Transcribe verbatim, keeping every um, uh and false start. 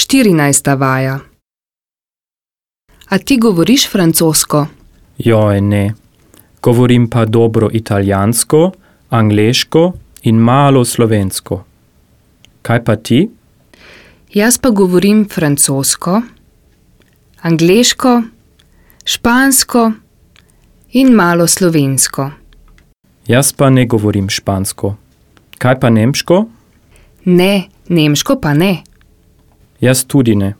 štirinajsta vaja. A ti govoriš francosko? Joj, ne. Govorim pa dobro italijansko, angleško in malo slovensko. Kaj pa ti? Jaz pa govorim francosko, angleško, špansko in malo slovensko. Jaz pa ne govorim špansko. Kaj pa nemško? Ne, nemško pa ne. Jaz tudi ne.